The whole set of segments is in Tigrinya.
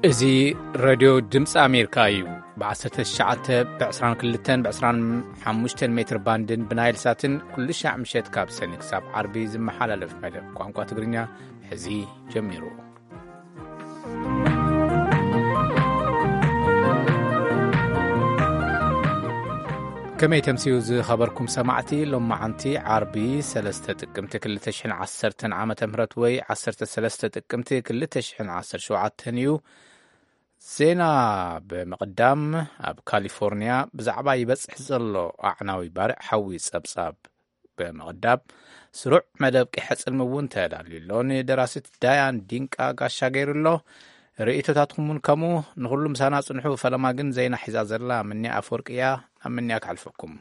እዚ ሬድዮ ድምፂ ኣሜሪካ እዩ። ብ19፣ ብ22፣ ብ25 ሜትር ባንድን ብናይል ሳትን ኩሉ ሻዕ ምሸት ካብ ሰኒ ክሳብ ዓርቢ ዝመሓላለፍ መደብ ቋንቋ ትግርኛ ሕዚ ጀሚሩ። ከመይ ተምስዩ ዝኸበርኩም ሰማዕቲ? ሎማዓንቲ ዓርቢ ሰለስተ ጥቅምቲ ክልተ ሽሕን ዓሰርተን ዓመተ ምህረት ወይ ዓሰርተ ሰለስተ ጥቅምቲ ክልተ ሽሕን ዓሰርተ ሸውዓተን እዩ። ዜና ብምቕዳም፣ ኣብ ካሊፎርኒያ ብዛዕባ ይበጽሕ ዘሎ ኣዕናዊ ባርዕ ሓዊ ጸብጻብ ብምቕዳም፣ ስሩዕ መደብ ቂሐ ጽልሚ እውን ተዳልዩ ኣሎ። ንደራሲት ዳያን ዲንቃ ጋሻ ገይሩ ኣሎ። ርእይቶታትኩም እውን ከምኡ። ንኹሉ ምሳና ጽንሑ። ፈለማ ግን ዜና ሒዛ ዘላ ምንያ ኣፈወርቂ እያ። ናብ ምንያ ክሓልፈኩም።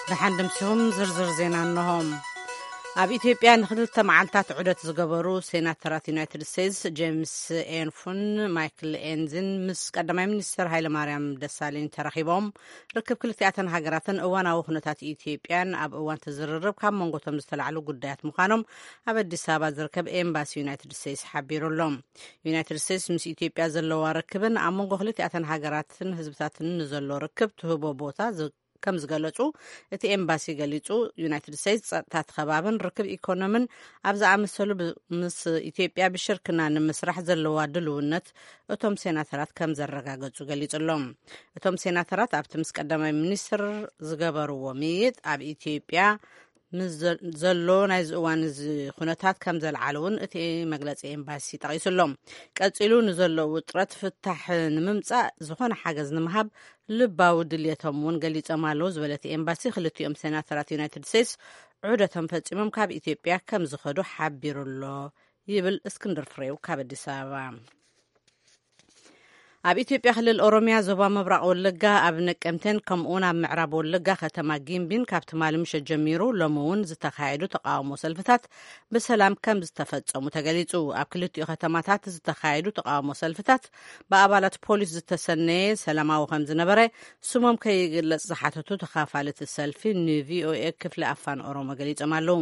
ደሓን ደምሲኹም ዝርዝር ዜና እንሆ። ኣብ ኢትዮጵያ ንክልተ መዓልታት ዑደት ዝገበሩ ሴናተራት ዩናይትድ ስቴትስ ጄምስ ኤንፉን ማይክል ኤንዝን ምስ ቀዳማይ ሚኒስትር ሃይለማርያም ደሳለኝ ተራኺቦም ርክብ ክልቲኣተን ሃገራትን እዋናዊ ኩነታት ኢትዮጵያን ኣብ እዋን ትዝርርብ ካብ መንጎቶም ዝተላዕሉ ጉዳያት ምዃኖም ኣብ ኣዲስ ኣበባ ዝርከብ ኤምባሲ ዩናይትድ ስቴትስ ሓቢሩ ኣሎ። ዩናይትድ ስቴትስ ምስ ኢትዮጵያ ዘለዋ ርክብን ኣብ መንጎ ክልቲኣተን ሃገራትን ህዝብታትን ንዘሎ ርክብ ትህቦ ቦታ ዝ-፣ ከም ዝገለጹ እቲ ኤምባሲ ገሊጹ። ዩናይትድ ስቴትስ ጸጥታ እቲ ከባብን ርክብ ኢኮኖምን ኣብ ዝኣመሰሉ ብ-፣ ምስ ኢትዮጵያ ብሽርክና ንምስራሕ ዘለዋ ድልውነት እቶም ሴናተራት ከም ዘረጋገጹ ገሊጹ ኣሎ። እቶም ሴናተራት ኣብቲ ምስ ቀዳማይ ሚኒስትር ዝገበርዎ ምይይጥ ኣብ ኢትዮጵያ ምስ ዘ-፣ ዘሎ ናይዚ እዋን እዚ ኩነታት ከም ዘልዓሉ እውን እቲ መግለጺ ኤምባሲ ጠቒሱ ኣሎ። ቀጺሉ ንዘሎ ውጥረት ፍታሕ ንምምጻእ ዝኾነ ሓገዝ ንምሃብ ልባዊ ድልየቶም እውን ገሊጾም ኣለዉ ዝበለ እቲ ኤምባሲ፣ ክልቲኦም ሴናተራት ዩናይትድ ስቴትስ ዑደቶም ፈጺሞም ካብ ኢትዮጵያ ከም ዝኸዱ ሓቢሩ ኣሎ ይብል እስክንድር ፍሬው ካብ ኣዲስ ኣበባ። ኣብ ኢትዮጵያ ክልል ኦሮሚያ ዞባ ምብራቕ ወለጋ ኣብ ነቀምቴን ከምኡውን ኣብ ምዕራብ ወለጋ ከተማ ጊምቢን ካብ ትማሊ ምሸት ጀሚሩ ሎሚ እውን ዝተኻየዱ ተቃውሞ ሰልፍታት ብሰላም ከም ዝተፈጸሙ ተገሊጹ። ኣብ ክልቲኡ ከተማታት ዝተኻየዱ ተቃውሞ ሰልፍታት ብኣባላት ፖሊስ ዝተሰነየ ሰላማዊ ከም ዝነበረ ስሞም ከይግለጽ ዝሓተቱ ተኻፋልቲ ሰልፊ ንቪኦኤ ክፍሊ ኣፋን ኦሮሞ ገሊጾም ኣለዉ።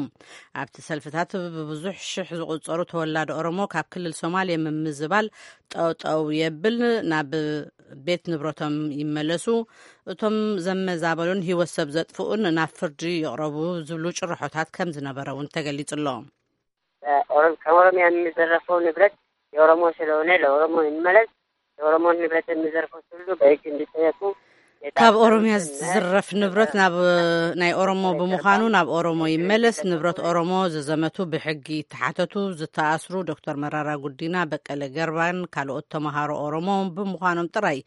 ኣብቲ ሰልፍታት ብብዙሕ ሽሕ ዝቑጸሩ ተወላዲ ኦሮሞ ካብ ክልል ሶማሌ ምምዝባል ጠጠው የብል፣ ናብ ቤት ንብረቶም ይመለሱ፣ እቶም ዘመዛበሉን ህይወት ሰብ ዘጥፍኡን ናብ ፍርዲ ይቕረቡ ዝብሉ ጭርሖታት ከም ዝነበረ እውን ተገሊጹ ኣሎ። ኦሮም-፣ ከኦሮሚያ የሚዘረፈው ንብረት የኦሮሞ ስለሆነ ለኦሮሞ ይመለስ፣ የኦሮሞን ንብረት የሚዘርፉት ሁሉ በሕግ እንዲጠየቁ ካብ ኦሮሚያ ዝዝረፍ ንብረት ናብ ናይ ኦሮሞ ብምዃኑ ናብ ኦሮሞ ይመለስ፣ ንብረት ኦሮሞ ዝዘመቱ ብሕጊ ይተሓተቱ፣ ዝተኣስሩ ዶክተር መራራ ጉዲና፣ በቀለ ገርባን ካልኦት ተምሃሮ ኦሮሞ ብምዃኖም ጥራይ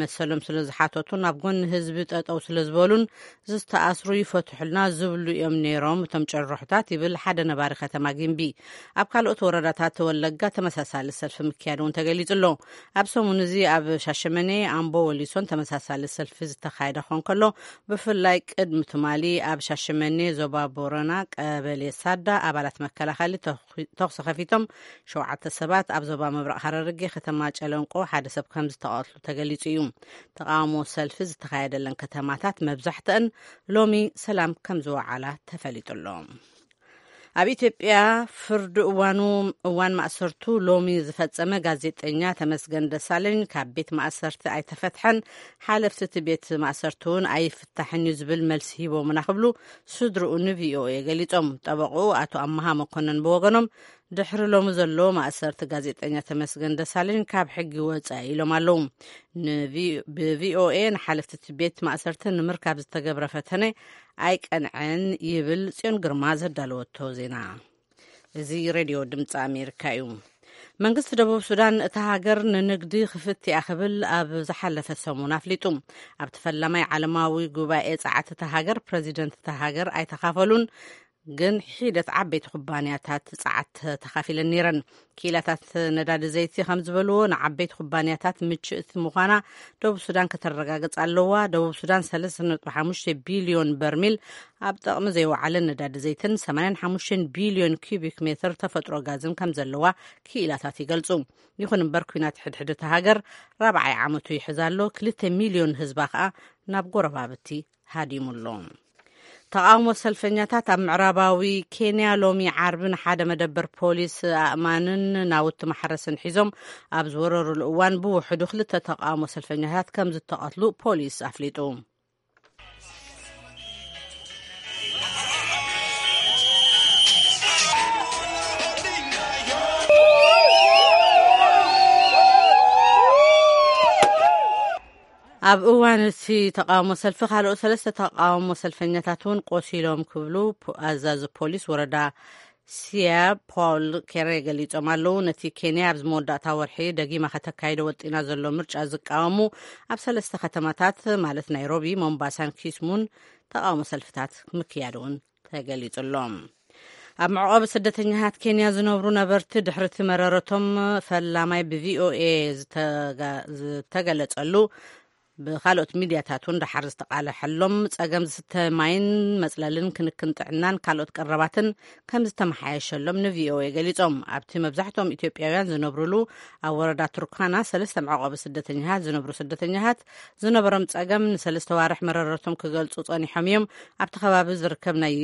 መሰሎም ስለ ዝሓተቱ ናብ ጎኒ ህዝቢ ጠጠው ስለ ዝበሉን ዝተኣስሩ ይፈትሑልና ዝብሉ እዮም ነይሮም እቶም ጭርሖታት ይብል ሓደ ነባሪ ከተማ ጊምቢ። ኣብ ካልኦት ወረዳታት ወለጋ ተመሳሳሊ ሰልፊ ምክያድ እውን ተገሊጹ ኣሎ። ኣብ ሰሙን እዚ ኣብ ሻሸመኔ፣ ኣምቦ፣ ወሊሶን ተመሳሳሊ ሰልፊ ዝተኻየደ ክኾን ከሎ፣ ብፍላይ ቅድሚ ትማሊ ኣብ ሻሸመኔ ዞባ ቦረና ቀበሌ ሳዳ ኣባላት መከላኸሊ ተኹ-፣ ተኹሲ ከፊቶም ሸውዓተ ሰባት፣ ኣብ ዞባ ምብራቕ ሃረርጌ ከተማ ጨለንቆ ሓደ ሰብ ከም ዝተቐትሉ ተገሊጹ እዩ። ተቃውሞ ሰልፊ ዝተኻየደለን ከተማታት መብዛሕትአን ሎሚ ሰላም ከም ዝወዓላ ተፈሊጡ ኣሎ። ኣብ ኢትዮጵያ ፍርዲ እዋኑ፣ እዋን ማእሰርቱ ሎሚ ዝፈጸመ ጋዜጠኛ ተመስገን ደሳለኝ ካብ ቤት ማእሰርቲ ኣይተፈትሐን፣ ሓለፍቲ እቲ ቤት ማእሰርቲ እውን ኣይፍታሕን እዩ ዝብል መልሲ ሂቦምና ክብሉ ስድርኡ ንቪኦኤ ገሊጾም። ጠበቕኡ ኣቶ ኣመሃ መኮነን ብወገኖም ድሕሪ ሎሚ ዘሎ ማእሰርቲ ጋዜጠኛ ተመስገን ደሳለኝ ካብ ሕጊ ወጻኢ ኢሎም ኣለዉ። ንቪ-፣ ብቪኦኤ ንሓለፍቲ እቲ ቤት ማእሰርቲ ንምርካብ ዝተገብረ ፈተነ ኣይቀንዐን ይብል ጽዮን ግርማ ዘዳለወቶ ዜና። እዚ ሬድዮ ድምፂ ኣሜሪካ እዩ። መንግስቲ ደቡብ ሱዳን እታ ሃገር ንንግዲ ክፍት እያ ክብል ኣብ ዝሓለፈ ሰሙን ኣፍሊጡ። ኣብቲ ፈላማይ ዓለማዊ ጉባኤ ጸዓት እታ ሃገር ፕረዚደንት እታ ሃገር ኣይተኻፈሉን፣ ግን ሒደት ዓበይቲ ኩባንያታት ጸዓት ተኻፊለን ነይረን። ክኢላታት ነዳዲ ዘይቲ ከም ዝበልዎ ንዓበይቲ ኩባንያታት ምችእቲ ምዃና ደቡብ ሱዳን ከተረጋግጽ ኣለዋ። ደቡብ ሱዳን ሰለስተ ነጥቢ ሓሙሽተ ቢልዮን በርሚል ኣብ ጥቕሚ ዘይወዓለ ነዳዲ ዘይትን ሰማንያን ሓሙሽተን ቢልዮን ኪዩቢክ ሜትር ተፈጥሮ ጋዝን ከም ዘለዋ ክኢላታት ይገልጹ። ይኹን እምበር ኲናት ሕድሕድ እታ ሃገር ራብዓይ ዓመቱ ይሕዝ ኣሎ። ክልተ ሚልዮን ህዝባ ከኣ ናብ ጎረባብቲ ሃዲሙ ኣሎ። ተቓውሞ ሰልፈኛታት ኣብ ምዕራባዊ ኬንያ ሎሚ ዓርቢ ንሓደ መደበር ፖሊስ ኣእማንን ናውቲ ማሕረስን ሒዞም ኣብ ዝወረሩሉ እዋን፣ ብውሕዱ ክልተ ተቓውሞ ሰልፈኛታት ከም ዝተቐትሉ ፖሊስ ኣፍሊጡ። ኣብ እዋን እቲ ተቓውሞ ሰልፊ፣ ካልኦት ሰለስተ ተቓውሞ ሰልፈኛታት እውን ቆሲሎም ክብሉ ፖ-፣ ኣዛዚ ፖሊስ ወረዳ ሲያ ፖል ኬሬ ገሊጾም ኣለዉ። ነቲ ኬንያ ኣብዚ መወዳእታ ወርሒ ደጊማ ከተካይዶ ወጢና ዘሎ ምርጫ ዝቃወሙ ኣብ ሰለስተ ከተማታት፣ ማለት ናይሮቢ፣ ሞምባሳን ኪስሙን፣ ተቓውሞ ሰልፍታት ምክያድ እውን ተገሊጹ ኣሎ። ኣብ መዕቆቢ ስደተኛታት ኬንያ ዝነብሩ ነበርቲ፣ ድሕሪ እቲ መረረቶም ፈላማይ ብቪኦኤ ዝተጋ-፣ ዝተገለጸሉ፣ ብካልኦት ሚድያታት እውን ደሓር ዝተቃለሐሎም ጸገም ዝስተ ማይን መጽለልን፣ ክንክን ጥዕናን ካልኦት ቀረባትን ከም ዝተመሓየሸሎም ንቪኦኤ ገሊጾም። ኣብቲ መብዛሕትኦም ኢትዮጵያውያን ዝነብሩሉ ኣብ ወረዳ ቱርካና ሰለስተ መዕቆቢ ስደተኛታት ዝነብሩ ስደተኛታት ዝነበሮም ጸገም ንሰለስተ ዋርሕ መረረቶም ክገልጹ ጸኒሖም እዮም። ኣብቲ ከባቢ ዝርከብ ናይ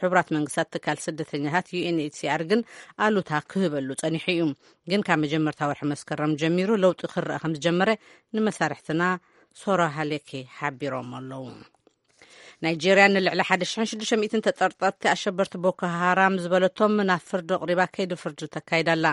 ሕቡራት መንግስታት ትካል ስደተኛታት ዩ ኤን ኤች ሲ ኣር ግን ኣሉታ ክህበሉ ጸኒሑ እዩ። ግን ካብ መጀመርታ ወርሒ መስከረም ጀሚሩ ለውጢ ክረኣ ከም ዝጀመረ ንመሳርሕትና ሶራ ሃሌኬ ሓቢሮም ኣለዉ። ናይጄርያ ንልዕሊ ሓደ ሽሕን ሽዱሽተ ሚእትን ተጠርጠርቲ ኣሸበርቲ ቦኮ ሃራም ዝበለቶም ናብ ፍርዲ ኣቕሪባ ከይዲ ፍርዲ ተካይዳ ኣላ።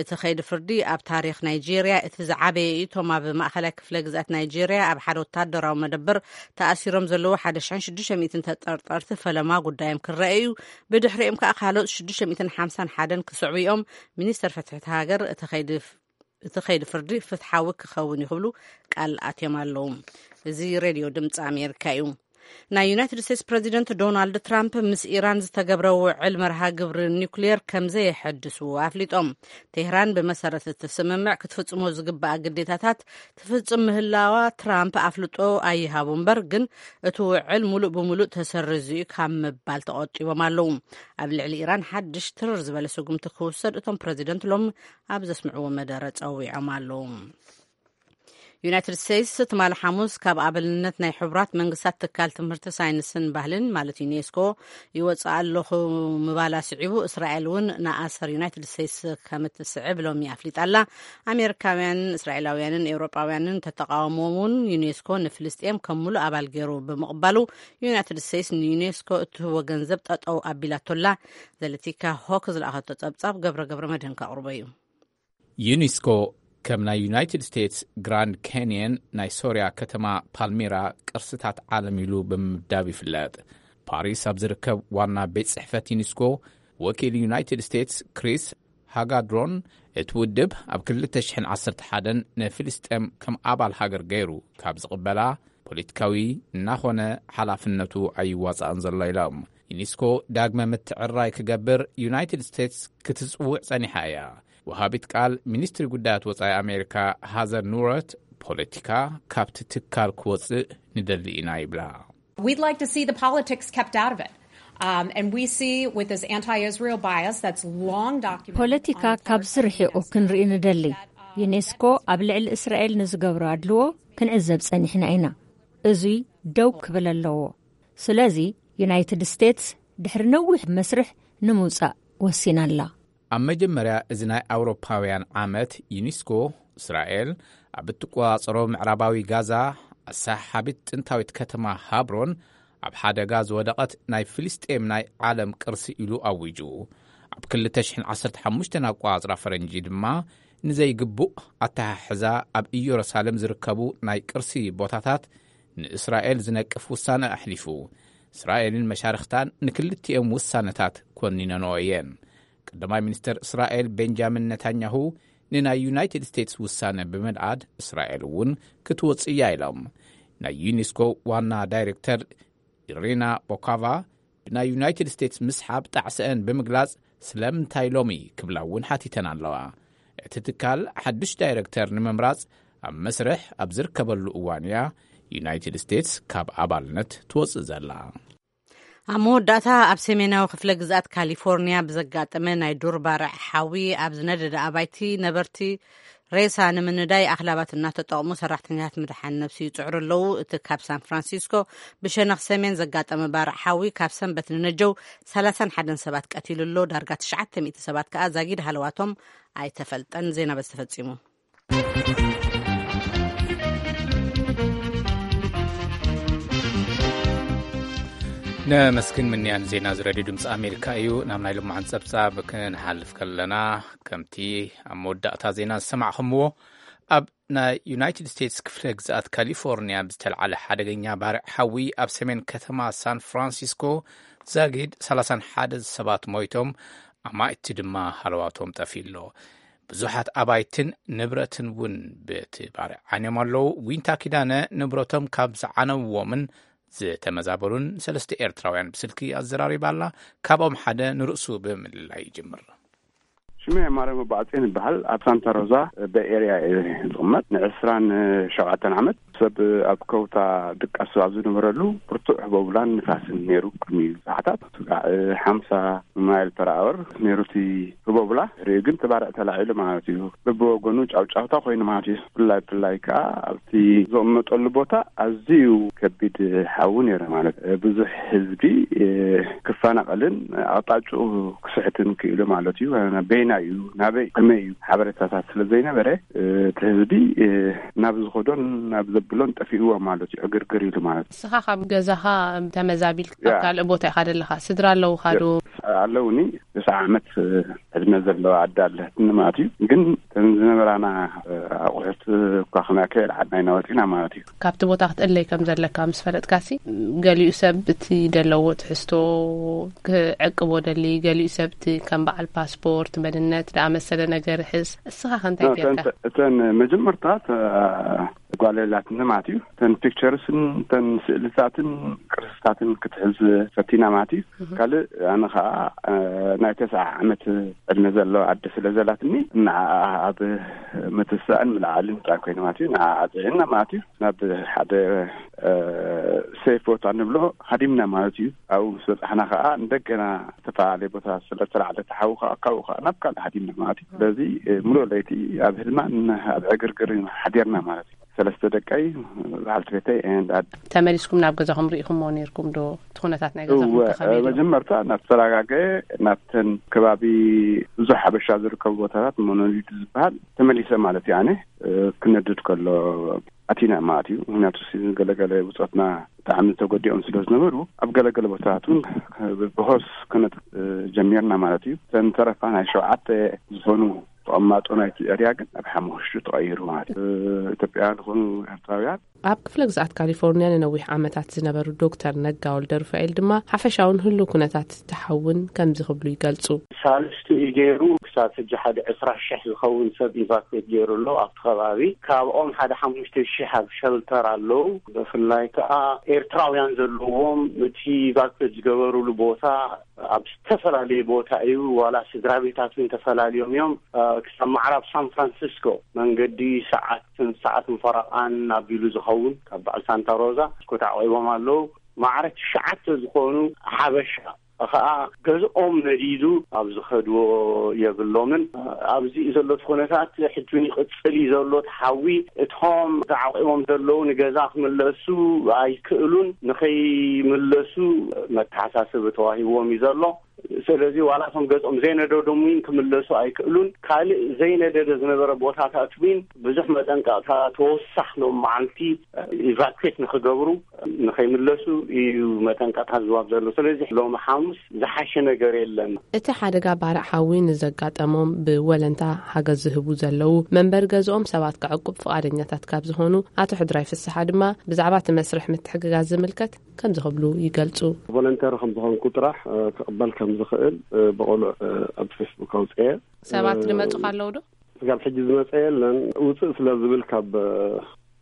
እቲ ከይዲ ፍርዲ ኣብ ታሪኽ ናይጄርያ እቲ ዝዓበየ እዩ። እቶም ኣብ ማእኸላይ ክፍለ ግዝኣት ናይጄርያ ኣብ ሓደ ወታደራዊ መደበር ተኣሲሮም ዘለዉ ሓደ ሽሕን ሽዱሽተ ሚእትን ተጠርጠርቲ ፈለማ ጉዳዮም ክረአ እዩ። ብድሕሪኦም ከኣ ካልኦት ሽዱሽተ ሚእትን ሓምሳን ሓደን ክስዕቡ እዮም። ሚኒስተር ፍትሒ እቲ ሃገር እቲ ከይዲ እቲ ከይዲ ፍርዲ ፍትሓዊ ክኸውን እዩ ክብሉ ቃል ኣትዮም ኣለዉ። እዚ ሬድዮ ድምፂ ኣሜሪካ እዩ። ናይ ዩናይትድ ስቴትስ ፕረዚደንት ዶናልድ ትራምፕ ምስ ኢራን ዝተገብረ ውዕል መርሃ ግብሪ ኒውክሊየር ከም ዘየሐድሱ ኣፍሊጦም። ቴህራን ብመሰረት እቲ ስምምዕ ክትፍጽሞ ዝግባኣ ግዴታታት ትፍጽም ምህላዋ ትራምፕ ኣፍልጦ ኣይሃቡ እምበር፣ ግን እቲ ውዕል ሙሉእ ብሙሉእ ተሰሪዙ እዩ ካብ ምባል ተቖጢቦም ኣለዉ። ኣብ ልዕሊ ኢራን ሓድሽ ትርር ዝበለ ስጉምቲ ክውሰድ እቶም ፕረዚደንት ሎም ኣብ ዘስምዕዎ መደረ ጸዊዖም ኣለዉ። ዩናይትድ ስቴትስ ትማሊ ሓሙስ ካብ ኣባልነት ናይ ሕቡራት መንግስታት ትካል ትምህርቲ፣ ሳይንስን ባህልን፣ ማለት ዩኔስኮ፣ ይወፅእ ኣለኹ ምባላ ስዒቡ፣ እስራኤል እውን ንኣሰር ዩናይትድ ስቴትስ ከም እትስዕብ ሎሚ ኣፍሊጣ ኣላ። ኣሜሪካውያንን እስራኤላውያንን ኤውሮጳውያንን ተተቃወሞም እውን፣ ዩኔስኮ ንፍልስጤም ከም ሙሉእ ኣባል ገይሩ ብምቕባሉ፣ ዩናይትድ ስቴትስ ንዩኔስኮ እትህቦ ገንዘብ ጠጠው ኣቢላቶላ። ዘለቲካ ሆክ ዝለኣኸቶ ጸብጻብ ገብረ ገብረ መድህን ከቕርቦ እዩ። ዩኔስኮ ከም ናይ ዩናይትድ ስቴትስ ግራንድ ካንየን፣ ናይ ሶርያ ከተማ ፓልሚራ ቅርስታት ዓለም ኢሉ ብምምዳብ ይፍለጥ። ፓሪስ ኣብ ዝርከብ ዋና ቤት ጽሕፈት ዩኔስኮ ወኪል ዩናይትድ ስቴትስ ክሪስ ሃጋድሮን፣ እቲ ውድብ ኣብ ክልተ ሽሕን ዓሰርተ ሓደን ንፍልስጤም ከም ኣባል ሃገር ገይሩ ካብ ዝቕበላ፣ ፖለቲካዊ እናኾነ ሓላፍነቱ ኣይዋጻእን ዘሎ ኢሎም። ዩኔስኮ ዳግመ ምትዕራይ ክገብር ዩናይትድ ስቴትስ ክትጽውዕ ጸኒሓ እያ። ወሃቢት ቃል ሚኒስትሪ ጉዳያት ወጻኢ ኣሜሪካ ሃዘር ኑረት፣ ፖለቲካ ካብቲ ትካል ክወጽእ ንደሊ ኢና ይብላ። We'd like to see the politics kept out of it. Um, and we see with this anti-Israel bias that's long documented ፖለቲካ on ካብዚ ርሒቑ ክንርኢ ንደሊ። ዩኔስኮ ኣብ ልዕሊ እስራኤል ንዝገብሮ ኣድልዎ ክንዕዘብ ጸኒሕና ኢና። እዙይ ደው ክብል ኣለዎ። ስለዚ ዩናይትድ ስቴትስ ድሕሪ ነዊሕ መስርሕ ንምውጻእ ወሲና ኣላ። ኣብ መጀመርያ እዚ ናይ ኣውሮፓውያን ዓመት፣ ዩኒስኮ እስራኤል ኣብ እትቆጻጸሮ ምዕራባዊ ጋዛ ኣሰሓሓቢት ጥንታዊት ከተማ ሃብሮን ኣብ ሓደጋ ዝወደቐት ናይ ፍልስጤም ናይ ዓለም ቅርሲ ኢሉ ኣዊጁ። ኣብ ክልተ ሽሕን ዓሰርተ ሓሙሽተን ኣቆጻጽራ ፈረንጂ ድማ ንዘይግቡእ ኣተሓሕዛ ኣብ ኢየሩሳሌም ዝርከቡ ናይ ቅርሲ ቦታታት ንእስራኤል ዝነቅፍ ውሳነ ኣሕሊፉ። እስራኤልን መሻርኽታን ንክልቲኦም ውሳነታት ኮኒነንኦ እየን። ቀዳማይ ሚኒስተር እስራኤል ቤንጃሚን ነታንያሁ ንናይ ዩናይትድ ስቴትስ ውሳነ ብምንኣድ፣ እስራኤል እውን ክትወጽእ እያ ኢሎም። ናይ ዩኔስኮ ዋና ዳይሬክተር ኢሪና ቦካቫ ብናይ ዩናይትድ ስቴትስ ምስሓብ ጣዕሰአን ብምግላጽ፣ ስለምንታይ ሎሚ ክብላ እውን ሓቲተን ኣለዋ። እቲ ትካል ሓድሽ ዳይሬክተር ንምምራጽ ኣብ መስርሕ ኣብ ዝርከበሉ እዋን እያ ዩናይትድ ስቴትስ ካብ ኣባልነት ትወጽእ ዘላ። ኣብ መወዳእታ፣ ኣብ ሰሜናዊ ክፍለ ግዝኣት ካሊፎርኒያ ብዘጋጠመ ናይ ዱር ባርዕ ሓዊ ኣብ ዝነደደ ኣባይቲ ነበርቲ ሬሳ ንምንዳይ ኣኽላባት እናተጠቕሙ ሰራሕተኛታት ምድሓን ነብሲ ይጽዕሩ ኣለዉ። እቲ ካብ ሳን ፍራንሲስኮ ብሸነኽ ሰሜን ዘጋጠመ ባርዕ ሓዊ ካብ ሰንበት ንነጀው ሰላሳን ሓደን ሰባት ቀቲሉ ኣሎ። ዳርጋ ትሽዓተ ሚእቲ ሰባት ከኣ ዛጊድ ሃለዋቶም ኣይተፈልጠን። ዜና በዚ ተፈጺሙ። ነመስግን ምንያን። ዜና እዚ ሬድዮ ድምፂ ኣሜሪካ እዩ። ናብ ናይ ልማዓን ፀብፃብ ክንሓልፍ ከለና፣ ከምቲ ኣብ መወዳእታ ዜና ዝሰማዕኹምዎ፣ ኣብ ናይ ዩናይትድ ስቴትስ ክፍለ ግዝኣት ካሊፎርኒያ ብዝተልዓለ ሓደገኛ ባርዕ ሓዊ ኣብ ሰሜን ከተማ ሳን ፍራንሲስኮ ዛጊድ ሰላሳን ሓደ ሰባት ሞይቶም፣ ኣማኢቲ ድማ ሃለዋቶም ጠፊኡ ኣሎ። ብዙሓት ኣባይትን ንብረትን እውን በቲ ባርዕ ዓንዮም ኣለዉ። ዊንታ ኪዳነ ንብረቶም ካብ ዝዓነውዎምን ዝተመዛበሉን ሰለስተ ኤርትራውያን ብስልኪ ኣዘራሪባ ኣላ። ካብኦም ሓደ ንርእሱ ብምልላይ ይጅምር። ሽመይ ማርያም ኣባዕጼን ይበሃል። ኣብ ሳንታ ሮዛ በይ ኤርያ እየ ዝቕመጥ። ንዕስራን ሸውዓተን ዓመት ሰብ ኣብ ከውታ ድቃሱ ኣብ ዝነበረሉ ብርቱዕ ህቦብላን ንፋስን ነይሩ። ቅድሚ ሰዓታት ስጋዕ ሓምሳ ማይል ፐር ኣወር ነይሩ እቲ ህቦብላ። ድሕሪኡ ግን ተባርዕ ተላዒሉ ማለት እዩ። በብወገኑ ጫውጫውታ ኮይኑ ማለት እዩ። ብፍላይ ብፍላይ ከዓ ኣብቲ ዝቕመጠሉ ቦታ ኣዝዩ ከቢድ ሓዊ ነይሩ ማለት እዩ። ብዙሕ ህዝቢ ክፈናቐልን ኣቕጣጭኡ ክስሕትን ክኢሉ ማለት እዩ። በይና እዩ፣ ናበይ፣ ከመይ እዩ ሓበሬታታት ስለ ዘይነበረ፣ እቲ ህዝቢ ናብ ዝኸዶን ናብ ዘብሎን ጠፊእዎ ማለት እዩ። ዕግርግር ኢሉ ማለት እዩ። ንስኻ ካብ ገዛኻ ተመዛቢልካ ያ። ኣብ ካልእ ቦታ ኢኻ ዘለኻ? ስድራ ኣለውኻ ዶ? ኣለውኒ። ተስዓ ዓመት ዕድመ ዘለዋ ኣደ ኣለትኒ ማለት እዩ። ግን እተን ዝነበራና ኣቑሑት እኳ ክነእከ የልዓድና ኢና ወፂና ማለት እዩ። ካብቲ ቦታ ክትእለይ ከም ዘለካ ምስ ፈለጥካሲ፣ ገሊኡ ሰብ እቲ ደለዎ ትሕዝቶ ክዕቅቦ ደሊ፣ ገሊኡ ሰብ እቲ ከም በዓል ፓስፖርት፣ መንነት ዝኣመሰለ ነገር ሕዝ። እስኻ ከ እንታይ ጌርካ? እተን መጀመርታ ተ-፣ ጓል የላትኒ ማለት እዩ። እተን ፒክቸርስን እተን ስእልታትን ቅርስታትን ክትሕዝ ፈቲና ማለት እዩ። ካልእ ኣነ ከዓ ናይ ተስዓ ዓመት ዕድመ ዘለዋ ኣደ ስለ ዘላትኒ፣ ንዓኣ ኣብ ምትሳእን ምልዓልን ጥራይ ኮይኑ ማለት እዩ። ንዓኣ ኣጽዒና ማለት እዩ ናብ ሓደ ሴፍ ቦታ ንብሎ ሃዲምና ማለት እዩ። ኣብኡ ምስ በጻሕና ከዓ እንደገና ዝተፈላለየ ቦታ ስለ ተላዕለ ተሓዊ ከዓ ካብኡ ከዓ ናብ ካልእ ሃዲምና ማለት እዩ። ስለዚ ሙሉእ ለይቲ ኣብ ህድማን ኣብ ዕግርግር ሓዲርና ማለት እዩ። ሰለስተ ደቀይ፣ በዓልቲ ቤተይ and ኣደ። ተመሊስኩም ናብ ገዛኹም ርኢኹምዎ ነይርኩም ዶ? እቲ ኩነታት ናይ ገዛኹም እወ፣ ተኸመይ ነይሩ? መጀመርታ ናብ ተረጋገ፣ ናብተን ከባቢ ብዙሕ ሓበሻ ዝርከቡ ቦታታት ሞኖሊድ ዝበሃል ተመሊሰ ማለት እዩ። ኣነ ክነድድ ከሎ ኣቲና ማለት እዩ። ምክንያቱ ሲ-፣ ገለገለ ብጾትና ብጣዕሚ ተጎዲኦም ስለ ዝነበሩ፣ ኣብ ገለገለ ቦታታት እውን ብሆስ ክነጥ ጀሚርና ማለት እዩ። እተን ተረፋ ናይ ሸውዓተ ዝኾኑ ተቐማጦ ናይቲ ኤርያ ግን ኣብ ሓሙሽቱ ተቐይሩ ማለት እዩ። ኢትዮጵያውያን ዝኾኑ ኤርትራውያን። ኣብ ክፍለ ግዝኣት ካሊፎርኒያ ንነዊሕ ዓመታት ዝነበሩ ዶክተር ነጋ ወልደ ሩፋኤል ድማ ሓፈሻውን ህሉው ኩነታት ተሓውን ከምዚ ክብሉ ይገልጹ። ሳልስቲ እዩ ገይሩ። ክሳብ ሕጂ ሓደ ዕስራ ሽሕ ዝኸውን ሰብ ኢቫኩዌት ገይሩ ኣሎ ኣብቲ ከባቢ። ካብኦም ሓደ ሓሙሽተ ሽሕ ኣብ ሸልተር ኣለዉ። ብፍላይ ከኣ ኤርትራውያን ዘለዎም እቲ ኢቫኩዌት ዝገበሩሉ ቦታ ኣብ ዝተፈላለየ ቦታ እዩ። ዋላ ስድራ ቤታት እውን ተፈላልዮም እዮም። እ፣ ክሳብ ምዕራብ ሳን ፍራንሲስኮ መንገዲ ሰዓትን ሰዓትን ፈረቓን ኣቢሉ ዝኸውን ካብ በዓል ሳንታ ሮዛ እስኮ ተዓቂቦም ኣለዉ። ማዕረ ትሽዓተ ዝኾኑ ሓበሻ ኸዓ ገዝኦም ነዲዱ ኣብ ዝኸድዎ የብሎምን። ኣብዚ ዘሎ እቲ ኩነታት ሕጂ እውን ይቕጽል እዩ ዘሎ እቲ ሓዊ። እቶም ተዓቂቦም ዘለዉ ንገዛ ክምለሱ ኣይክእሉን። ንኸይምለሱ መተሓሳስቢ ተዋሂብዎም እዩ ዘሎ። ስለዚ ዋላ እቶም ገዝኦም ዘይነደዶም እውን ክምለሱ ኣይክእሉን። ካልእ ዘይነደደ ዝነበረ ቦታታት እውን ብዙሕ መጠንቀቕታ ተወሳኽ ሎም መዓልቲ ኢቫኩዌት ንኽገብሩ ንኸይምለሱ እዩ መጠንቀቕታ ዝዋብ ዘሎ። ስለዚ ሎሚ ሓሙስ ዝሓሸ ነገር የለን። እቲ ሓደጋ ባርዕ ሓዊ ንዘጋጠሞም ብወለንታ ሓገዝ ዝህቡ ዘለዉ መንበሪ ገዝኦም ሰባት ከዕቁብ ፍቓደኛታት ካብ ዝኾኑ ኣቶ ሕድራይ ፍስሓ ድማ ብዛዕባ እቲ መስርሕ ምትሕግጋዝ ዝምልከት ከምዚ ክብሉ ይገልጹ። ቮለንተር ከም ዝኾንኩ ጥራሕ፣ እ፣ ክቕበል ከም ዝኽእል፣ እ፣ ብቕሉዕ፣ እ፣ ኣብ ፌስቡክ ኣውፅኤ። ሰባት እ፣ ዝመጹ ኣለዉ ዶ? ስጋብ ሕጂ ዝመጸ የለን። ውጽእ ስለ ዝብል ካብ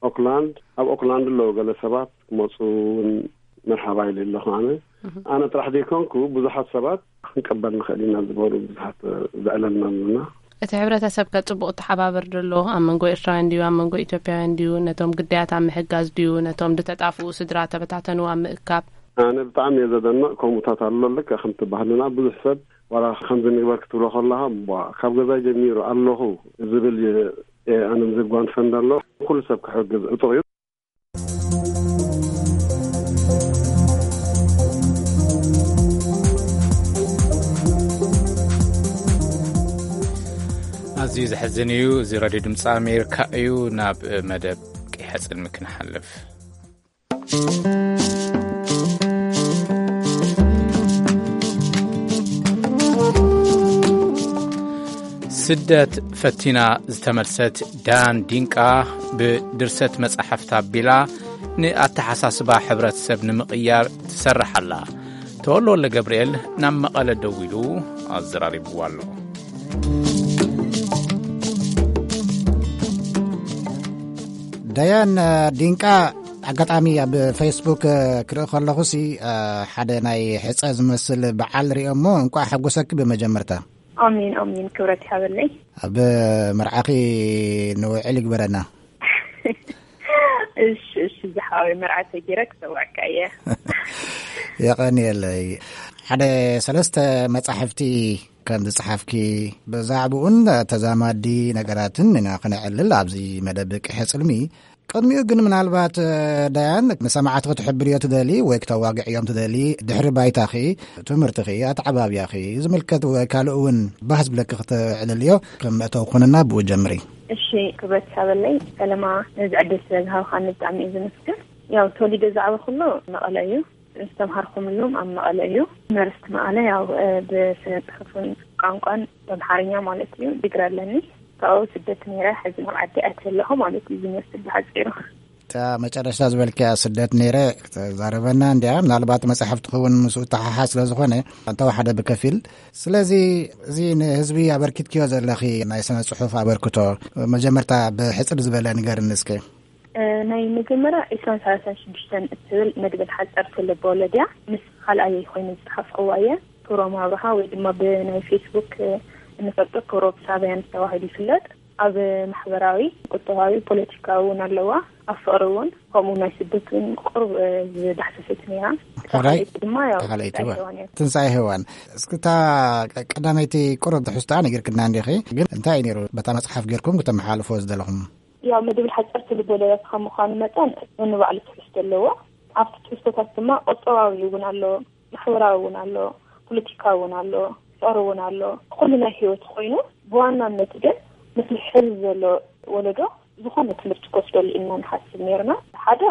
ኦክላንድ፣ ኣብ ኦክላንድ ኣለዉ ገለ ሰባት ክመጹ እውን መርሓባ ኢለ ኣለኹ ኣነ። ኣነ ጥራሕ ዘይኮንኩ ብዙሓት ሰባት ክንቀበል ንኽእል ኢና ዝበሉ ብዙሓት ዘዕለልና ኣለና። እቲ ሕብረተሰብ ከ ጽቡቕ ተሓባበር ዶ ኣሎ? ኣብ መንጎ ኤርትራውያን ድዩ? ኣብ መንጎ ኢትዮጵያውያን ድዩ? ነቶም ግዳያት ኣብ ምሕጋዝ ድዩ? ነቶም ዝተጣፍኡ ስድራ ተበታተኑ ኣብ ምእካብ? ኣነ ብጣዕሚ እየ ዘደንቕ። ከምኡታት ኣሎ። ልክዕ ከምቲ ባህልና ብዙሕ ሰብ ዋላ ከምዚ ንግበር ክትብሎ ከለኻ፣ ቧ፣ ካብ ገዛይ ጀሚሩ ኣለኹ ዝብል የ-፣ ኣነም ዘጓንፈ እንዳሎ ኩሉ ሰብ ክሕግዝ ዕጡቕ እዩ። ኣዝዩ ዘሕዝን እዩ። እዚ ሬድዮ ድምፂ ኣሜሪካ እዩ። ናብ መደብ ቀይሕ ጽልሚ ክንሓልፍ። ስደት ፈቲና ዝተመልሰት ዳን ዲንቃ፣ ብድርሰት መጻሕፍቲ ኣቢላ ንኣተሓሳስባ ሕብረተሰብ ንምቕያር ትሰርሕ ኣላ። ተወልደ ወልደ ገብርኤል ናብ መቐለ ደዊሉ ኣዘራሪብዋ ኣሎ። ዳያን ዲንቃ፣ ኣጋጣሚ ኣብ ፌስቡክ ክርኢ ከለኹሲ፣ ሓደ ናይ ሕጸ ዝመስል በዓል ሪኦሞ፣ እንቋዕ ሓጎሰኪ ብመጀመርታ። ኣሜን፣ ኣሜን። ክብረት ይሃበለይ። ኣብ መርዓኺ ንውዕል ይግበረና። እሺ፣ እሺ፣ ዝሓወይ መርዓ ተጌረ ክሰዋዕካ እየ። የቐንየለይ። ሓደ ሰለስተ መጻሕፍቲ ከም ዝጸሓፍኪ፣ ብዛዕባኡን ተዛማዲ ነገራትን ኢና ክነዕልል ኣብዚ መደብ ቅሐ ጽልሚ። ቅድሚኡ ግን ምናልባት፣ እ፣ ዳያን፣ ንሰማዕቲ ክትሕብርዮ ትደሊ ወይ ክተዋግዕዮም ትደሊ፣ ድሕሪ ባይታኺ፣ ትምህርትኺ፣ ኣተዓባብያኺ ዝምልከት ወይ ካልእ እውን ባህ ዝብለኪ ክተዕልልዮ ከም መእተዊ ኩንና ብኡ ጀምሪ። እሺ፣ ክብረት ይሃበለይ ሰለማ፣ ነዚ ዕድል ስለ ዝሃብካኒ ብጣዕሚ እየ ዝምስግን። ያው ተወሊደ ዝዓበኹሉ መቐለ እዩ። ዝተምሃርኩምሉም ኣብ መቐለ እዩ። ዩኒቨርሲቲ መቐለ ያው፣ እ፣ ብስነ ጽሑፍን ቋንቋን ብኣምሓርኛ ማለት እዩ ዲግሪ ኣለኒ። ካብኡ ስደት ነይረ፣ ሕዚ ናብ ዓዲ ኣትየ ኣለኹ ማለት እዩ ዝመስል ብሓጺሩ። እታ መጨረሽታ ዝበልክያ ስደት ነይረ ተዛረበና እንድያ። ምናልባት መጽሓፍ ትኸውን ምስኡ ተሓሓዝ ስለ ዝኾነ፣ እንተወሓደ ብከፊል። ስለዚ፣ እዚ ንህዝቢ ኣበርኪትክዮ ዘለኺ ናይ ስነ ጽሑፍ ኣበርክቶ፣ መጀመርታ ብሕጽር ዝበለ ንገርኒ እስከ። እ፣ ናይ መጀመርያ ዒስራን ሰላሳን ሽዱሽተን እትብል መድብል ሓጸርቲ ልበወለድ እያ። ምስ ካልኣየይ ኮይኑ ዝጸሓፍክዋ እየ። ክብሮም ኣብርሃ ወይ ድማ ብናይ ፌስቡክ፣ እ፣ እንፈልጦ ክብሮም ሳብያን ተባሂሉ ይፍለጥ። ኣብ ማሕበራዊ፣ ቁጠባዊ፣ ፖለቲካዊ እውን ኣለዋ። ኣብ ፍቕሪ እውን፣ ከምኡ ናይ ስደት እውን ቁሩብ፣ እ፣ ዝዳህሰሰት ነይራ። እታ ሕራይ? ካልኣይቲ ድማ ያው እታ ካልኣይቲ ትንሳኤ እዋ። ሄዋን እያ። ትንሳኤ ሄዋን። እስኪ እታ ቀ-፣ ቀዳመይቲ ቁሩብ ትሕዝቶኣ ነጊርክና እንዲኺ፣ ግን እንታይ እዩ ነይሩ በታ መጽሓፍ ጌርኩም ክተመሓላልፍዎ ዝደለኹም? ያው መድብል ሓጸርቲ ልቦለዳት ካብ ምዃኑ መጠን ነንባዕሉ ትሕዝቶ ኣለዎ። ኣብቲ ትሕዝቶታት ድማ ቁጠባዊ እውን ኣሎ፣ ማሕበራዊ እውን ኣሎ፣ ፖለቲካዊ እውን ኣሎ፣ ፍቕሪ እውን ኣሎ። ኩሉ ናይ ህይወት ኮይኑ፣ ብዋናነት ግን ነቲ ሕዚ ዘሎ ወለዶ ዝኾነ ትምህርቲ ክወስደሉ ኢልና ንሓስብ ነይርና። ሓደ፣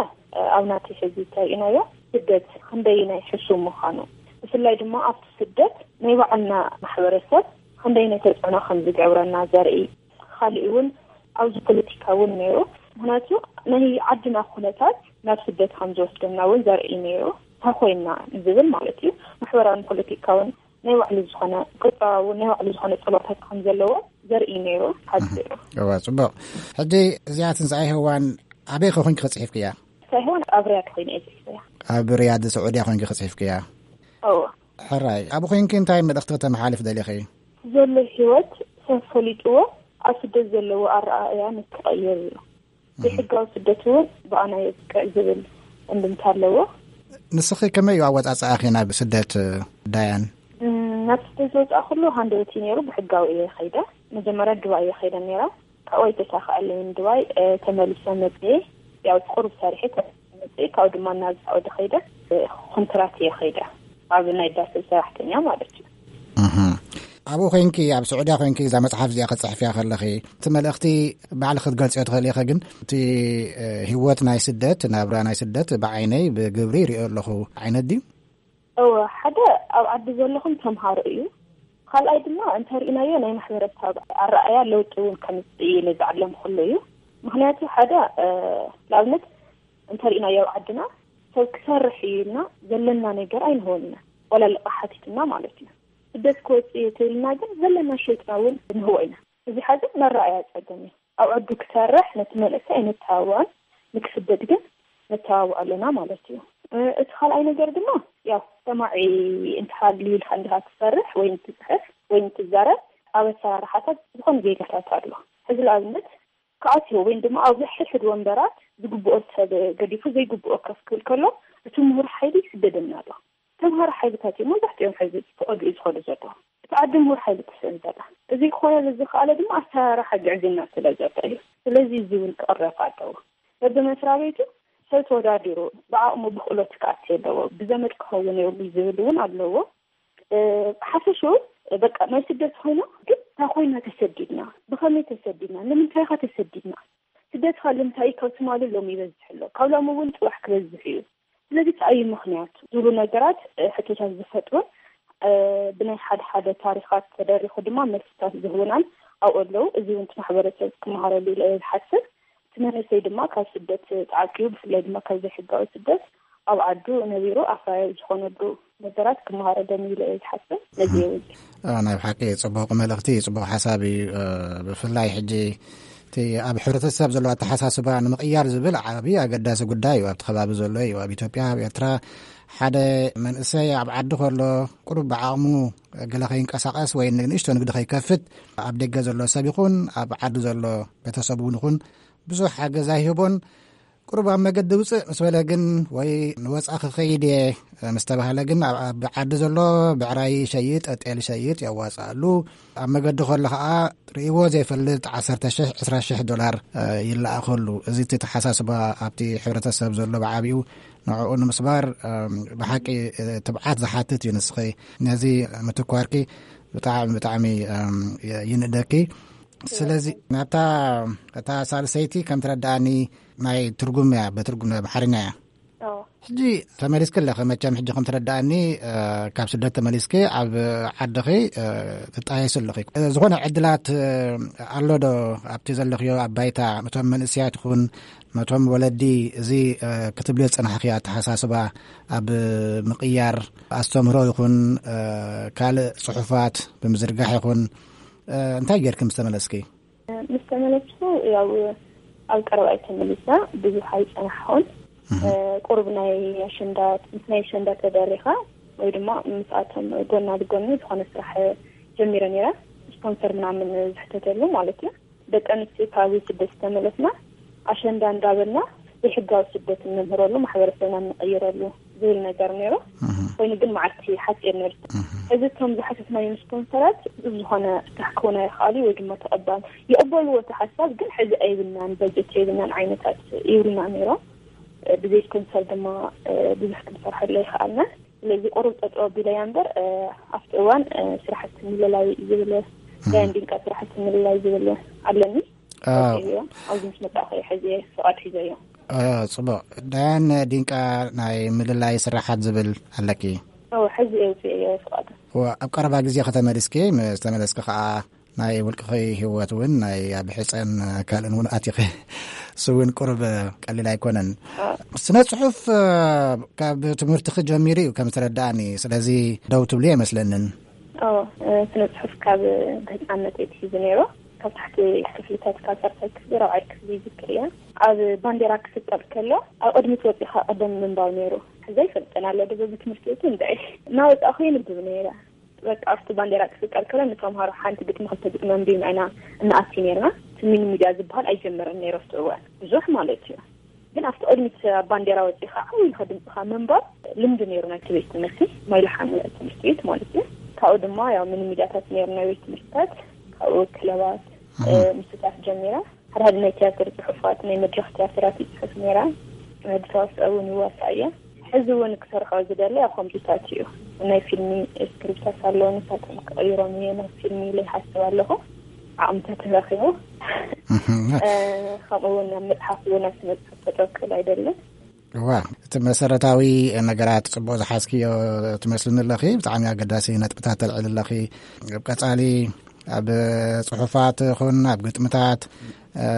ኣብ ናተይ ሕዚ እንተሪእናዮ፣ ስደት ክንደየናይ ሕሱም ምዃኑ፣ ብፍላይ ድማ ኣብቲ ስደት ናይ ባዕልና ማሕበረሰብ ክንደየናይ ተጽዕኖ ከም ዝገብረና ዘርኢ፣ ካሊእ እውን ኣብዚ ፖለቲካ እውን ነይሩ። ምኽንያቱ ናይ ዓድና ኩነታት ናብ ስደት ከም ዝወስደና እውን ዘርኢ ነይሩ። እንታይ ኮይንና ዝብል ማለት እዩ። ማሕበራውን ፖለቲካውን ናይ ባዕሉ ዝኾነ፣ ቁጠባዊ ናይ ባዕሉ ዝኾነ ጸሎታት ከም ዘለዎ ዘርኢ ነይሩ። ሓፂሩ። እዋ፣ ጽቡቕ። ሕጂ እዚኣ ትንሳኤ ሄዋን ኣበይ ኮንኪ ክጽሒፍክያ? ትንሳኤ ሄዋን ኣብ ሪያድ ኮይነ እየ ጽሒፈያ። ኣብ ሪያድ ስዑድያ ኮንኪ ክጽሒፍክያ? እዋ። ሕራይ፣ ኣብኡ ኮይንኪ እንታይ መልእኽቲ ከተመሓልፍ ደሊኺ? ዘሎ ህይወት ሰብ ፈሊጥዎ፣ ኣብ ስደት ዘለዎ ኣረኣእያ ንክቐይር እዩ። ዘይሕጋዊ ስደት እውን ብኣና የብቅዕ ዝብል እንድምታ ኣለዎ። ንስኺ ከመይ እዩ ኣወጻጽኣኺ ናብ ስደት፣ ዳያን? እም፣ ናብ ስደት ዝወጻእኩሉ ሃንደበት እዩ ነይሩ። ብሕጋዊ እየ ከይደ። መጀመርያ ዱባይ እየ ከይደ ነይረ። ካብኡ ኣይተሳኽዐለይን ዱባይ፣ እ፣ ተመሊሰ መጽየ። ያው ቁሩብ ሰሪሐ ተመሊሰ መጽየ። ካብኡ ድማ ናብ ሳዑዲ ከይደ፣ እ፣ ኮንትራት እየ ከይደ። ኣብ ናይ ዳስ ሰራሕተኛ ማለት እዩ። እህ። ኣብኡ ኮይንኪ፣ ኣብ ስዑድያ ኮይንኪ እዛ መጽሓፍ እዚኣ ክትጽሕፍያ ከለኺ፣ እቲ መልእኽቲ ባዕልኺ ክትገልጽዮ ትኽእሊ ኢኺ፣ ግን እቲ፣ እ፣ ህይወት ናይ ስደት፣ ናብራ ናይ ስደት ብዓይነይ ብግብሪ ይሪኦ ኣለኹ ዓይነት ድዩ? እወ፣ ሓደ ኣብ ዓዲ ዘለኹም ተምሃሮ እዩ። ካልኣይ ድማ እንተሪእናዮ ናይ ማሕበረሰብ ኣረኣእያ ለውጢ እውን ከምፅእ ኢለ ዝዓለምኩሉ እዩ። ምኽንያቱ ሓደ፣ እ፣ ንኣብነት እንተሪእናዮ ኣብ ዓድና ሰብ ክሰርሕ እዩ ኢልና ዘለና ነገር ኣይንህቦን ኢና። ዋላ ልቓሕ ሓቲትና ማለት እዩ። ስደት ክወፅእ እየ ተይልና ግን ዘለና ሸይጥና እውን ንህቦ ኢና። እዚ ሓዚ መረኣያ ፀገም እዩ። ኣብ ዓዱ ክሰርሕ ነቲ መንእሰይ ኣይነተባብዖን፣ ንክስደድ ግን ነተባብዖ ኣለና ማለት እዩ። እ፣ እቲ ካልኣይ ነገር ድማ ያው ሰማዒ እንተሃልዩ ኢልካ እንዲኻ ትሰርሕ ወይ እንትፅሕፍ ወይ እንትዛረብ ኣብ ኣሰራርሓታት ዝኾነ ጌጋታት ኣሎ። ሕዚ ንኣብነት ክኣትዮ ወይ ድማ ኣብ ሕድሕድ ወንበራት ዝግብኦ ሰብ ገዲፉ ዘይግብኦ ከፍ ክብል ከሎ እቲ ምሁር ሓይሊ ይስደደና ኣሎ። ተምሃሮ ሓይልታት እዮም መብዛሕትኦም ሕዚ ተቐድኡ ዝኸዱ ዘለዉ። እቲ ዓዲ ምሁር ሓይሊ ክስእን ዘላ። እዚ ክኾነሉ ዝኸኣለ ድማ ኣሰራርሓ ግዕዝይና ስለ ዘሎ እዩ። ስለዚ እዚ እውን ክቕረፍ ኣለዎ። በብመስሪያ ቤቱ ሰብ ተወዳዲሩ ብዓቕሙ ብክእለቱ ክኣቲ ኣለዎ። ብዘመድ ክኸውን የብሉ ዝብል እውን ኣለዎ። እ፣ ብሓፈሽኡ በቃ ናይ ስደት ኮይና ግን እንታይ ኮይና ተሰዲድና? ብኸመይ ተሰዲድና? ንምንታይ ኸ ተሰዲድና? ስደት ኸ ልምንታይ ካብ ትማሊ ሎም ይበዝሕ ኣሎ? ካብ ሎም እውን ጽባሕ ክበዝሕ እዩ። ስለዚ እንታይ እዩ ምኽንያቱ? ዝብሉ ነገራት፣ እ፣ ሕቶታት ዝፈጥሩን፣ እ፣ ብናይ ሓደ ሓደ ታሪኻት ተደሪኹ ድማ መልስታት ዝህቡናን ኣብኡ ኣለዉ። እዚ እውን እቲ ማሕበረሰብ ክመሃረሉ ኢለ እየ ዝሓስብ። እቲ መንእሰይ ድማ ካብ ስደት ተዓቂቡ፣ ብፍላይ ድማ ካብ ዘይሕጋዊ ስደት ኣብ ዓዱ ነቢሩ ኣፍራያዊ ዝኾነሉ ነገራት ክመሃረሎም ኢለ እየ ዝሓስብ። ነዚ እውን እ፣ ናይ ብሓቂ ጽቡቕ መልእኽቲ፣ ጽቡቕ ሓሳብ እዩ። እ፣ ብፍላይ ሕጂ እቲ ኣብ ሕብረተሰብ ዘሎ ኣተሓሳስባ ንምቕያር ዝብል ዓቢ ኣገዳሲ ጉዳይ እዩ። ኣብቲ ከባቢ ዘሎ እዩ። ኣብ ኢትዮጵያ፣ ኣብ ኤርትራ ሓደ መንእሰይ ኣብ ዓዲ ከሎ ቁሩብ ብዓቕሙ ገለ ከይንቀሳቐስ ወይ ንእሽቶ ንግዲ ከይከፍት ኣብ ደገ ዘሎ ሰብ ይኹን ኣብ ዓዲ ዘሎ ቤተሰብ እውን ይኹን ብዙሕ ሓገዝ ኣይህቦን። ቁሩብ ኣብ መገዲ ውፅእ ምስ በለ ግን ወይ ንወፃ ክኸይድ እየ ምስ ተባህለ ግን ኣብ፣ ኣብ ዓዲ ዘሎ ብዕራይ ይሸይጥ፣ ጤል ይሸይጥ፣ የዋፅኣሉ። ኣብ መገዲ ከሎ ከዓ ርእይዎ ዘይፈልጥ ዓሰርተ ሽሕ፣ ዕስራ ሽሕ ዶላር፣ እ፣ ይለኣኸሉ። እዚ እቲ ተሓሳስባ ኣብቲ ሕብረተሰብ ዘሎ ብዓቢኡ ንዕኡ ንምስባር፣ እ፣ ብሓቂ፣ እ፣ ትብዓት ዝሓትት እዩ። ንስኺ ነዚ ምትኳርኪ ብጣዕሚ፣ ብጣዕሚ፣ እ፣ ይንእደኪ። ስለዚ ናብታ እታ ሳልሰይቲ ከም ትረድኣኒ ናይ ትርጉም እያ፣ ብትርጉም ናይ ኣምሓርኛ እያ። ሕጂ ተመሊስኪ ኣለኺ መቸም፣ ሕጂ ከም ትረድኣኒ፣ እ፣ ካብ ስደት ተመሊስኪ ኣብ ዓድኺ፣ እ፣ ትጣየሲ ኣለኺ። እ፣ ዝኾነ ዕድላት፣ እ፣ ኣሎ ዶ ኣብቲ ዘለኽዮ ኣብ ባይታ? ነቶም መንእሰያት ይኹን ነቶም ወለዲ እዚ፣ እ፣ ክትብልዮ ዝጸናሕኽዮ ኣተሓሳስባ ኣብ ምቕያር ኣስተምህሮ ይኹን፣ እ፣ ካልእ ጽሑፋት ብምዝርጋሕ ይኹን፣ እ፣ እንታይ ጌርኪ ምስ ተመለስኪ? ምስ ተመለስኩ፣ ያው ኣብ ቀረባ እየ ተመሊሳ፣ ብዙሕ ኣይጸናሕኹን። እህ። እ፣ ቁሩብ ናይ ኣሸንዳ፣ ምስ ናይ ኣሸንዳ ተደሪኻ ወይ ድማ ምስኣቶም ጎና ብጎኒ ዝኾነ ስራሕ ጀሚረ ነይረ። ስፖንሰር ምናምን ዝሕተተሉ ማለት እዩ። ደቂ ኣንስትዮ ካብ ስደት ዝተመለስና ኣሸንዳ እንዳበልና ዘይሕጋዊ ስደት እንምህረሉ፣ ማሕበረሰብና እንቕይረሉ ዝብል ነገር ነይሩ። እህ። ኮይኑ ግን መዓልቲ ሓፂር ነይሩ። እህ። እዚ እቶም ዝሓተትናዮም ስፖንሰራት ብዙሕ ዝኾነ ፍታሕ ክኾን ኣይኽኣሉ ወይ ድማ ተቐባል ይቕበልዎ እቲ ሓሳብ፣ ግን ሕዚ ኣይብልናን፣ በጀት የብልናን ዓይነታት ይብሉና ነይሮም። እ፣ ብዘይ ስፖንሰር ድማ፣ እ፣ ብዙሕ ክንሰርሐሉ ኣይኸኣልናን። ስለዚ ቁሩብ ጠጠው ኣቢለያ እምበር፣ እ፣ ኣብቲ እዋን፣ እ፣ ስራሕቲ ምልላይ ዝብል፣ ዳያን ዲንቃ ስራሕቲ ምልላይ ዝብል ኣለኒ። ኣዎ። ወፂኤዮ። ኣብዚ ምስ መጣኹ እየ ሕዚ ፍቓድ ሒዘዮ። እ፣ ጽቡቕ። ዳያን ዲንቃ ናይ ምልላይ ስራሓት ዝብል ኣለኪ? ኣዎ፣ ሕዚ እየ ውፅኤዮ ፍቓድ። ዋ፣ ኣብ ቀረባ ግዜ ከተመሊስኪ፣ ምስ ተመለስኪ ከኣ ናይ ውልቅኺ ህይወት እውን ናይ ኣብ ሕፀን ካልእን እውን ኣቲኺ። እሱ እውን ቁሩብ ቀሊል ኣይኮነን። አ። ስነ ጽሑፍ፣ እ፣ ካብ ትምህርትኺ ጀሚሩ እዩ ከም ዝተረዳእኒ። ስለዚ ደው ትብሊ ኣይመስለንን። ኦ፣ እ፣ ስነ ጽሑፍ ካብ ህፃንነት እየ ትሒዙ ነይሩ። ካብ ታሕቲ ክፍልታት ካብ ሳልሳይ ክፍሊ ራብዓይ ክፍሊ ይዝክር እየ። ኣብ ባንዴራ ክስቀል ከሎ ኣብ ቅድሚት ወፂኻ ቀደም ምንባብ ነይሩ። ሕዚ ኣይፈልጥን ኣሎ ዶ በዚ ትምህርቲ ቤት እንታይ እናወፃእኹ የንብብ ነይረ። በቃ ኣብቲ ባንዴራ ክስቀል ከሎ ንተምሃሮ ሓንቲ ግጥሚ ክልተ ግጥሚ ኣንቢብና ኢና እንኣቲ ነይርና። እቲ ሚኒ ሚድያ ዝበሃል ኣይጀመረን ነይሩ ኣብቲ እዋን ብዙሕ ማለት እዩ። ግን ኣብቲ ቅድሚት ኣብ ባንዴራ ወፂኻ ዓው ኢልካ ድምፅኻ ምንባብ ልምዲ ነይሩ ናይቲ ቤት ትምህርቲ፣ ማይልሓም ትምህርቲ ቤት ማለት እዩ። ካብኡ ድማ ያው ሚኒ ሚድያታት ነይሩ ናይ ቤት ትምህርትታት፣ ካብኡ ክለባት፣ እህ። እ፣ ምስታት ጀሚረ። ሓደ ሓደ ናይ ትያትር ጽሑፋት፣ ናይ መድረኽ ትያትራት ይጽሕፍ ነይረ። ንተዋስኦ እውን ይዋሳእ እየ። ሕዚ እውን ክሰርሖ ዝደሊ ኣብ ኮምፒታት እዩ። ናይ ፊልሚ ስክሪፕታት ኣለዉ፣ ንሳቶም ክቕይሮም እየ ናብ ፊልሚ ኢለ ይሓስብ ኣለኹ። ዓቕምታት ረኺቡ። እህ። እ፣ ከምኡ እውን ናብ መጽሓፍ እውን ኣብ ስነ ጽሑፍ ከጠቅል ኣይደልን። እዋ፣ እቲ መሰረታዊ ነገራት ጽቡቕ ዝሓዝክዮ ትመስልኒ ኣለኺ። ብጣዕሚ ኣገዳሲ ነጥብታት ተልዕል ኣለኺ። ኣብ ቀጻሊ ኣብ ጽሑፋት ይኹን ኣብ ግጥምታት፣ እ፣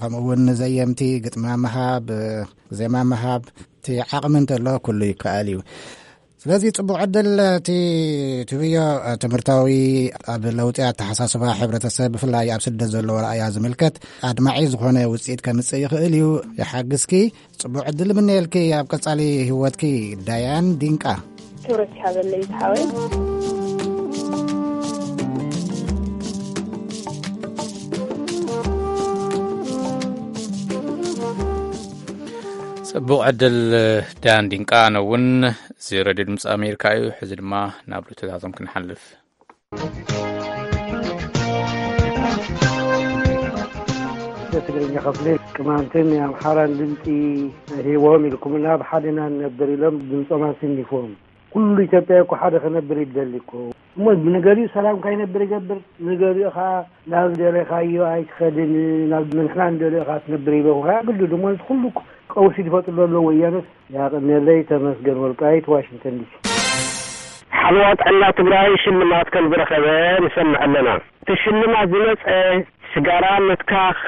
ከምኡ እውን ንዘየምቲ ግጥሚ ምሃብ፣ ዜማ ምሃብ፣ እቲ ዓቕሚ እንተሎ ኩሉ ይከኣል እዩ። ስለዚ ጽቡቕ ዕድል። እቲ ትብዮ ትምህርታዊ ኣብ ለውጢ ኣተሓሳስባ ሕብረተሰብ ብፍላይ ኣብ ስደት ዘለዎ ረኣያ ዝምልከት ኣድማዒ ዝኾነ ውፅኢት ከምፅእ ይኽእል እዩ። ይሓግዝኪ። ጽቡቕ ዕድል እምነየልኪ ኣብ ቀጻሊ ህይወትኪ። ዳያን ዲንቃ። ክብረት ይሃበለይ ዝሓወይ። ጽቡቕ ዕድል ዳያን ዲንቃ። ኣነ እውን እዚ ሬድዮ ድምፂ ኣሜሪካ እዩ። ሕዚ ድማ ናብ ርትዕታቶም ክንሓልፍ። ትግርኛ ክፍሊ ቅማንትን የኣምሓራን ድምፂ ሂቦም ኢልኩምና፣ ብሓደ ኢና ንነብር ኢሎም ድምፆም ኣስኒፎም። ኩሉ ኢትዮጵያ እኮ ሓደ ክነብር ይደሊ እኮ። እሞ ንገሊኡ ሰላም ካይነብር ይገብር፣ ንገሊኡ ከዓ ናብ ደለኻዮ ኣይትኸድን፣ ናብ ንሕና ንደልዮ ከዓ ትነብር ይበኹ። ከዓ ግዱ ድማ እዚ ኩሉ ቀውሲ ዝፈጥሩ ዘሎ ወያነስ። ያቕኔለይ ተመስገን ወልቃይት፣ ዋሽንግተን ዲሲ። ሓለዋ ጥዕና ትግራይ ሽልማት ከም ዝረኸበ ንሰምዕ ኣለና። እቲ ሽልማት ዝመፀ ስጋራ ምትካኽ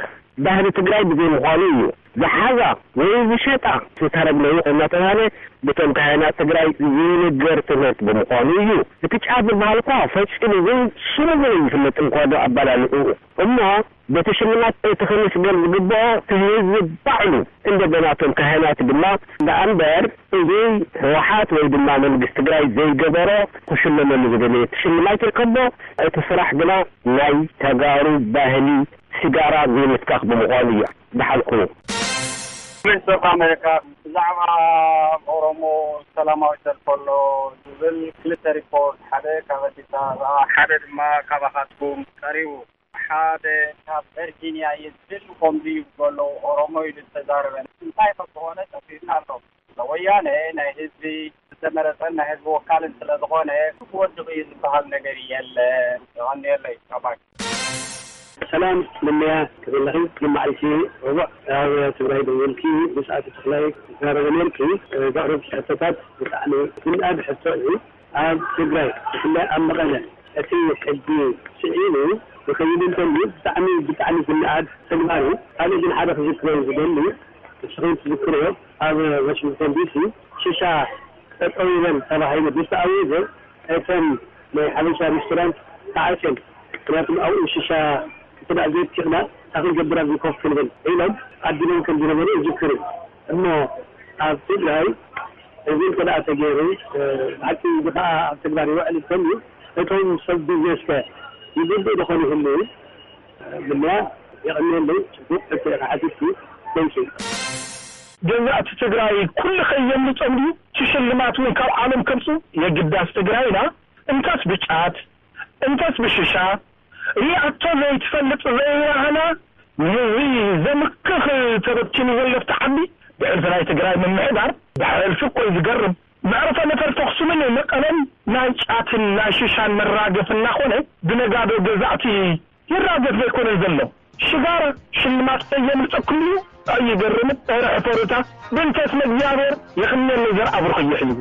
ባህሊ ትግራይ ብዘይምዃኑ እዩ። ዝሓዛ ወይ ዝሸጣ ዝተረግመ እናተባህለ ብቶም ካህናት ትግራይ ዝንገር ትምህርት ብምዃኑ እዩ። እቲ ጫት ዝበሃል እኳ ፈጺሙ እውን ስሙ እውን ይፍለጥ እንኳ ዶ ኣባላልዑ። እሞ በቲ ሽልማት እቲ ክምስገን ዝግብኦ እቲ ህዝቢ ባዕሉ እንደ በናቶም ካህናት ድማ ደኣ እምበር እዚ ህወሓት ወይ ድማ መንግስቲ ትግራይ ዘይገበሮ ክሽለመሉ ዝደለየ ሽልማት ይርከቦ። እቲ ስራሕ ግና ናይ ተጋሩ ባህሊ ሲጋራ ዘይምትካኽ ብምዃኑ እዩ። ደሓልኩ። ቮይስ ኦፍ ኣሜሪካ ብዛዕባ ኦሮሞ ሰላማዊ ሰልፊ ኣሎ ዝብል ክልተ ሪፖርት፣ ሓደ ካብ ኣዲስ ኣበባ፣ ሓደ ድማ ካባኻትኩም ቀሪቡ። ሓደ ካብ ቨርጂኒያ እዩ ዝብል ከምዚ ይብሉ ኣለዉ። ኦሮሞ ኢሉ ዝተዛረበ እንታይ ከም ዝኾነ ጠፊኡና ኣሎ። ወያነ ናይ ህዝቢ ዝተመረጸን ናይ ህዝቢ ወካልን ስለ ዝኾነ ክወድቕ እዩ ዝበሃል ነገር የለን። የቐንየለይ። ባባይ። ሰላም ንምያ ክብለኺ፣ ንመዓልቲ ረቡዕ ኣብ ትግራይ ደወልኪ ብሰዓት ተኽላይ ትዛረበ ነርኪ። ዘቕረብኪ ሕቶታት ብጣዕሚ ዝንኣድ ሕቶ እዩ። ኣብ ትግራይ ብፍላይ ኣብ መቐለ እቲ ሕጊ ስዒቡ ክኸይድ እንተልዩ ብጣዕሚ ብጣዕሚ ዝንኣድ ተግባር እዩ። ካልእ ግን ሓደ ክዝክሮ ዝደሊ፣ ንስኹም ትዝክርዎ ኣብ ዋሽንግተን ዲሲ ሽሻ ጠጠው ይበል ተባሂሉ ምስ ተኣወጀ እተን ናይ ሓበሻ ሬስቶራንት ተዓፅየን። ምክንያቱም ኣብኡ ሽሻ ክትዳ ዘይትክና ታክል ገብር ኣብዚ ኮፍ ክንብል ኢሎም ኣዲሎም ከም ዝነበሩ ይዝክር እዩ። እሞ ኣብ ትግራይ እዚ እንተ ደኣ ተገይሩ፣ ብሓቂ እዚ ከዓ ኣብ ተግባር ይውዕል እንተልዩ እቶም ሰብ ቢዝነስ ከ ይጉድኡ ዶ ኾኑ ይህልዉ? ምንያ የቐንየለይ። ጽቡቕ ሕቶ ኢኻ ሓቲትኪ። Thank you። ገዛእቲ ትግራይ ኩሉ ከየምልጾም ድዩ? እቲ ሽልማት እውን ካብ ዓለም ከምጹ የግዳስ ትግራይና እንተስ ብጫት እንተስ ብሽሻ ሪኣቶ ዘይትፈልጥ ዘይራህና ንህዝቢ ዘምክኽ ተበቲኑ ዘሎ ኣብቲ ዓዲ ብሕልፊ ናይ ትግራይ ምምሕዳር ብሕልፊ እኮ እዩ ዝገርም። መዕርፎ ነፈርቲ ኣኽሱምን መቐለን ናይ ጫትን ናይ ሽሻን መራገፊ እናኾነ ብነጋዶ ገዛእቲ ይራገፍ ዘይኮነን ዘሎ። ሽጋራ ሽልማት ከየምልጠኩም እዩ። ኣይገርምን? ኧረ ሕፈሩታ። ብእንተ ስመ እግዚኣብሔር የኽንየለይ ዘርኣ ብሩኽ እዩ ሕዝቡ።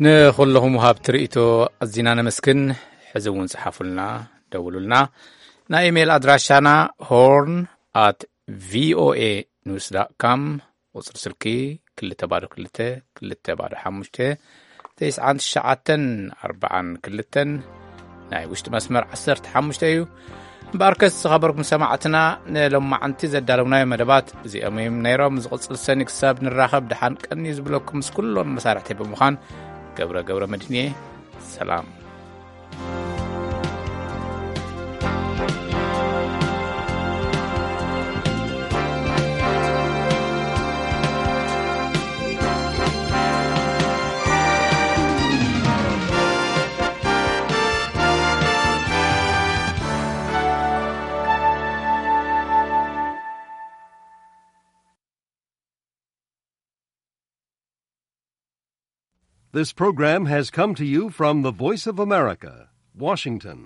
ንኹለኹም ወሃብቲ ርእይቶ ኣዚና ነመስግን። ሕዚ እውን ጽሓፉልና፣ ደውሉልና። ናይ ኢሜይል ኣድራሻና ሆርን ኣት ቪኦኤ ኒውስ ዳት ካም፣ ቁጽሪ ስልኪ ክልተ ባዶ ክልተ፣ ክልተ ባዶ ሓሙሽተ፣ ተስዓን ትሽዓተን ኣርባዓን ክልተን፣ ናይ ውሽጢ መስመር ዓሰርተ ሓሙሽተ እዩ። እምበኣርከስ ዝኸበርኩም ሰማዕትና፣ ንሎማዓንቲ ዘዳለውናዮ መደባት እዚኦም እዮም ነይሮም። ዝቕጽል ሰኒ ክሳብ ንራኸብ ደሓን ቀንዩ ዝብለኩም ምስ ኩሎም መሳርሕቲ ብምዃን ገብረ ገብረ መድህን እየ። ሰላም። This program has come to you from the Voice of America, Washington.